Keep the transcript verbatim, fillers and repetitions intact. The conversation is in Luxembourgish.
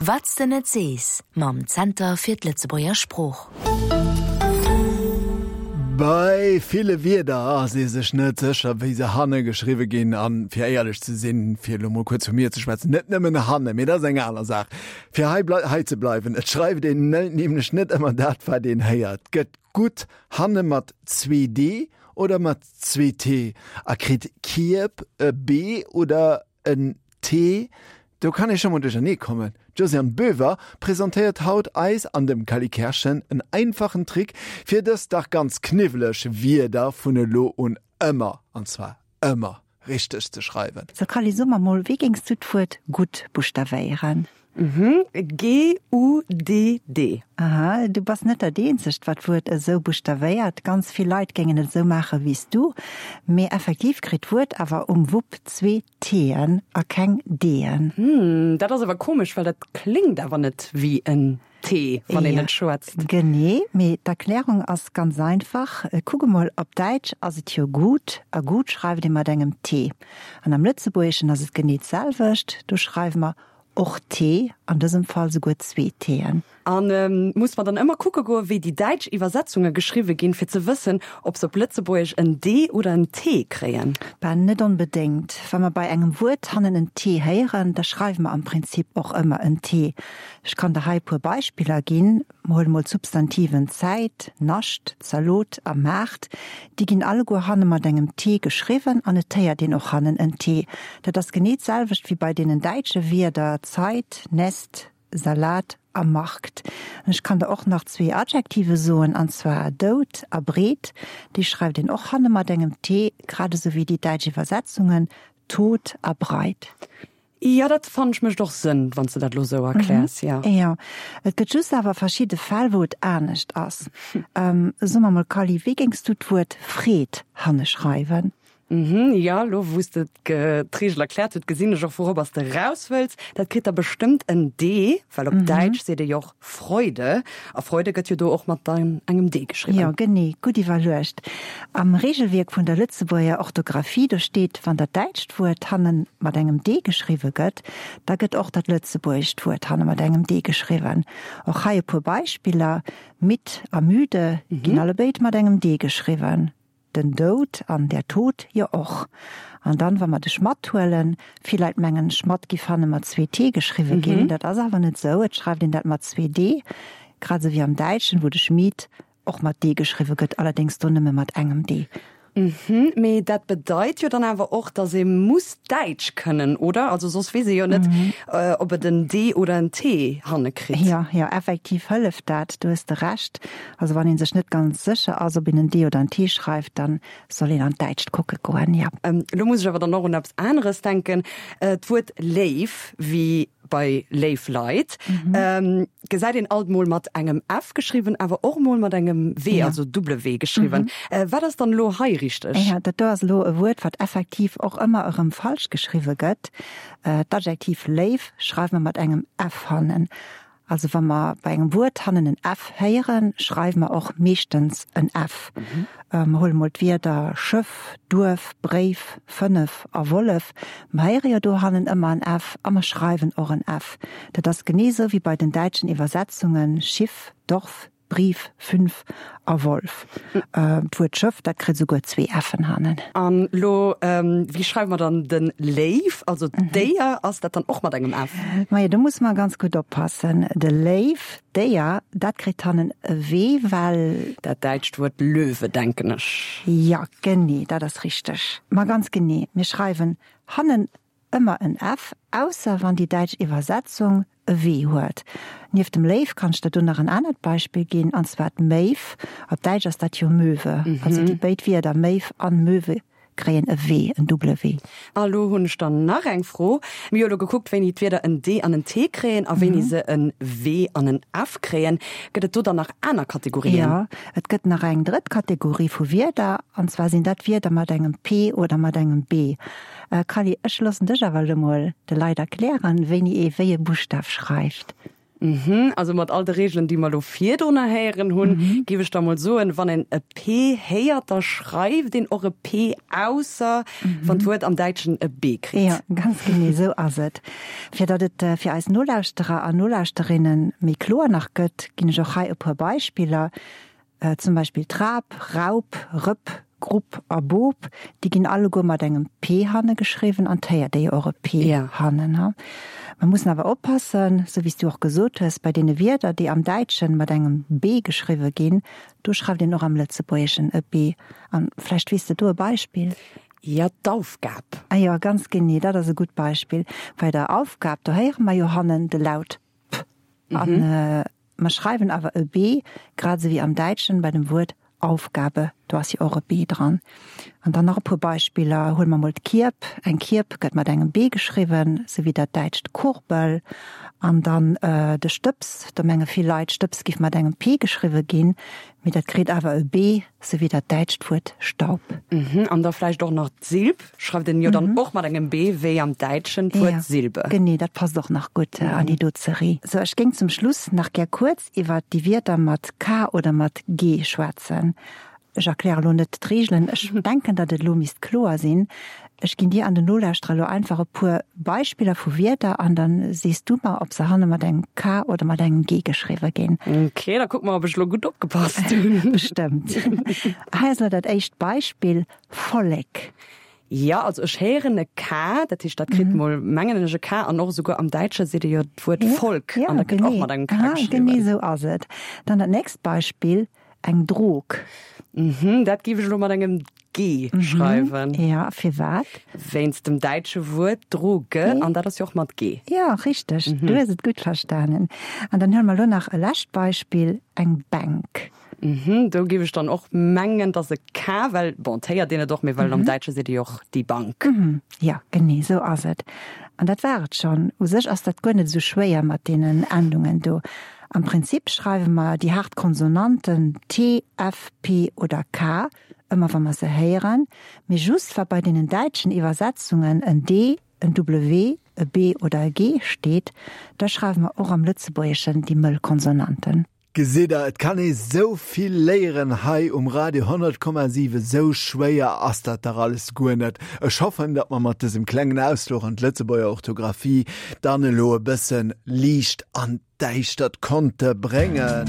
Wat s de net sees mam Zenter fir d'Lëtzebuerger Sprooch. Bei ville Wierder ass ee sech net sécher, wéi se hanne geschriwwe ginn. An, fir éierlech ze sinn, fir elo mol kuerz vu mir ze schwätzen, net nëmmen hanne, mee dat ass eng aner Saach. Fir hei hei ze bleiwen, et schreift een nämlech net ëmmer dat, wat een héiert. Gëtt gutt hanne mat zwee D oder mat zwee T? A kritt Kierb e B oder en T? Do kann ee scho mol duerchernee kommen. D'Josiane Boever presentéiert haut eis an dem Cally Kerschen en einfachen Trick, fir dës dach ganz kniwweleg Wierder vun elo un ëmmer, an zwar ëmmer, richteg ze schreiwen. So Cally, so mer mol, wéi géings du d'Wuert gutt buschtavéieren? G-U-D-D. Aha, du bass net dat eenzegt, wat d'Wuert esou buschtavéiert. Ganz vill Leit géingen et esou maache wéi s du. Mee effektiv kritt d'Wuert awer um Wupp zwee T'en a keng D'en. Hm, dat ass awer komesch, well dat kléngt awer net wéi en T, wann een et schwätzt. Genee, mee d'Erklärung ass ganz einfach. Kuck emol, op Däitsch ass et jo gut, a gut schreift ee mat engem T. An am Lëtzebuergeschen ass et genee d'selwecht, do schreiwe mer och T, an dësem Fall souguer zwee T'en. A muss mer dann ëmmer kucke goen, wéi déi däitsch Iwwersetzunge geschriwwe ginn, fir ze wëssen, ob se op Lëtzebuergesch en D oder en T kréien? Bah, net onbedéngt. Wa mer bei engem Wuert hannen en T héieren, da schreiwe mer am Prinzip och ëmmer en T. Ech kann der hei e puer Beispiller ginn. Mer huele mol d'Substantiven Zäit, Nascht, Zalot a Maart. Déi ginn alleguer hanne mat engem T geschriwwen an et héiert een och hannen en T. Dat ass genee d'selwecht wéi bei deenen däitsche Wierder Zeit, Nest, Salat a Markt. An ech kann der och nach zwee Adjektive soen, an zwar dout a breet. Déi schreift een och hanne mat engem T, grad esou wéi déi däitsch Iwwersetzungen tot a breit. Jo, dat fannen ech mécht och Sënn, wann s de dat elo esou erkläers, jo. Jo, et gëtt just awer verschidde Fäll, wou et anescht ass. So mer mol, Kally, wéi géings du d'Wuert Freed hanne schreiwen? Mhm, jo, elo wou s de d'Reegel erkläert huet, gesinn ech och, wourobber s de raus wëlls. Dat kritt da bestëmmt en D, well op Däitsch seet ee jo och Freude, a Freude gëtt jo do och mat engem D geschriwwen. Jo, genee, gutt iwwerluecht. Am Reegelwierk vun der Lëtzebuerger Orthografie, do steet, wann dat däitscht Wuert hanne mat engem D geschriwwe gëtt, da gëtt och dat lëtzebuergescht Wuert hanne mat engem D geschriwwen. Och hei e puer Beispiller, Midd a müde ginn allebéid mat engem D geschriwwen. Den Doud an der Tod jo och. An dann, wa mer de Schmatt huelen, vill Leit mengen, Schmatt giff hanne mat zwee T geschriwwe ginn. Dat ass awer net esou, et schreift een dat mat zwee D, grad esou wéi am Däitschen, wou de Schmied och mat D geschriwwe gëtt, allerdéngs do nëmme mat engem D. Mhm, mee dat bedeit jo dann awer och, dass ee muss Däitsch kënnen, oder? Also soss weess ee jo net, ob et en D oder en T hanne kritt. Jo, jo, effektiv hëlleft dat, do hues de Recht. Also wann ee sech net ganz sécher ass, ob een en D oder en T schreift, dann soll een an d'Däitscht kucke goen, jo. Elo muss ech awer dann och un eppes aneres denken, D'Wuert léif, wéi bei léif Leit, gesäit een alt mol mat engem F geschriwwen, awer och mol mat engem W, also Double-W geschriwwen. Wat ass dann elo hei richteg? Jo, dat do ass elo e Wuert, wat effektiv och ëmmer erëm falsch geschriwwe gëtt. D'Adjektiv léif schreiwe mer mat engem F hannen. Also wa mer bei engem Wuert hannen en F héieren, schreiwe mer och meeschtens en F. Mer huele mol d'Wierder Schëff, Duerf, Bréif, fënnef a Wollef. Mer héiere jo do hannen ëmmer en F a mer schreiwen och en F. Dat ass genee esou wéi bei den däitschen Iwwersetzungen Schiff, Dorf, Brief, fünf a Wolf. D'Wuert Schëff, dat kritt esouguer zwee F'en hannen. An elo, wéi schreiwe mer dann de Léiw, also d'Déier, ass dat dann och mat engem F? Majo, do musse mer ganz gutt oppassen. De Léiw, d'Déier, dat kritt hannen e W, well. Dat däitscht Wuert Löwe, denken ech. Jo, genee, dat ass richteg. Ma ganz genee, mir schreiwen hannen Ëmmer en F, ausser wann déi däitsch Iwwersetzung e W huet. Nieft dem Léiw kann ech der do nach en anert Beispill ginn, an zwar d'Méiw. Op Däitsch ass dat jo Möwe. Also déi béid Wierder Méiw an Möwe kréien e W, en double W. A lo hunn ech dann nach eng Fro. Mir hu lo gekuckt, wéini d'Wierder en D an en T kréien a wéini se en W an en F kréien. Gëtt et do dann nach aner Kategorien? Jo, et gëtt nach eng drëtt Kategorie vu Wierder, an zwar sinn dat Wierder mat engem P oder mat engem B. Kally, ech loossen dech awer elo mol de Leit erklären, wéini ee wéi e Buschtaf schreift. Mhm, also mat all de Reegelen, déi mer elo virdrunner héieren hunn, géif ech da mol soen, wann een e P héiert, da schreift een och e P, ausser wann d'Wuert am Däitschen e B kritt. Jo, ganz genee esou ass et. Fir datt et fir eis Nolauschterer an Nolauschterinnen méi kloer nach gëtt, ginn ech och hei e puer Beispiller. Zum Beispill Trap, Raup, Rëpp, Grupp a Bop, déi ginn alleguer mat engem P hanne geschriwwen an 't héiert ee jo och e P hannen. Mer mussen awer oppassen, sou wéi s du och gesot hues, bei deene Wierder, déi am Däitschen mat engem B geschriwwe ginn, do schreift een och am Lëtzebuergeschen e B. An vläicht weess de do e Beispill? Jo, d'Aufgab. Ah jo, ganz genee, dat ass e gutt Beispill. Bei der Aufgab, do héiere mer jo hannen de Laut P an mer schreiwen awer e B, grad esou wéi am Däitschen bei dem Wuert Aufgabe, do ass jo och e B dran. An dann nach e puer Beispiller, Huele mer mol d'Kierb, eng Kierb gëtt mat engem B geschriwwen, sou wéi dat däitscht Kurbel. An dann de Stëbs, do menge vill Leit, Stëbs giff mat engem P geschriwwe ginn, mee dat kritt awer e B, sou wéi dat däitscht Wuert Staub. An da vläicht och nach d'Silb, schreift een jo dann och mat engem B, wéi am Däitschen d'Wuert Silbe. Genee, dat passt och nach gutt an déi do Zerie. Sou, ech géing zum Schluss nach gär kuerz iwwert déi Wierder mat K oder mat G schwätzen. Ech erkläre lo net d'Reegelen, ech denken, datt et elo misst kloer sinn. Ech ginn dir an den Nolauschterer elo einfach e puer Beispiller vu Wierder an da sees du mer, ob se hanne mat engem K oder mat engem G geschriwwe ginn. Ok, da kucke mer, ob ech elo gutt opgepasst hunn. Bestëmmt. Hei ass elo dat éischt Beispill, Vollek. Jo, also ech héieren e K, dat heescht, dat kritt mol, mengen ech, e K an och esouguer am Däitsche seet ee jo d'Wuert Volk an dat gëtt och mat engem K geschriwwen. Genee esou ass et. Dann dat nächst Beispill, eng Drog. Mhm, dat géif ech elo mat engem G schreiwen. Jo, firwat? Wéinst dem däitsche Wuert Droge an dat ass jo och mat G. Jo, richteg, du hues et gutt verstanen. An dann huele mer elo nach e lescht Beispill, eng Bänk. Mhm, do géif ech dann och mengen, dass e K, well, bon, 't héiert een et och, mee well am Däitsche seet ee jo och die Bank. Mhm, jo, genee esou ass et. An dat war et schonn. U sech ass dat guer net esou schwéier mat deenen Endungen do. Am Prinzip schreiwe mer déi haart Konsonanten t, f, p oder k ëmmer wa mer se héieren, mee just wa bei deenen däitschen Iwwersetzungen en d, en w, e b oder e g steet, da schreiwe mer och am Lëtzebuergeschen déi mëll Konsonanten. Gesitt der, et kann ee sou vill léieren hei um Radio honnert Komma siwen, sou schwéier ass dat dach alles guer net. Ech hoffen, datt mer mat dësem klengen Ausfluch an d'Lëtzebuerger Orthografie dann elo e bëssen Liicht an d'Däischtert konnte bréngen.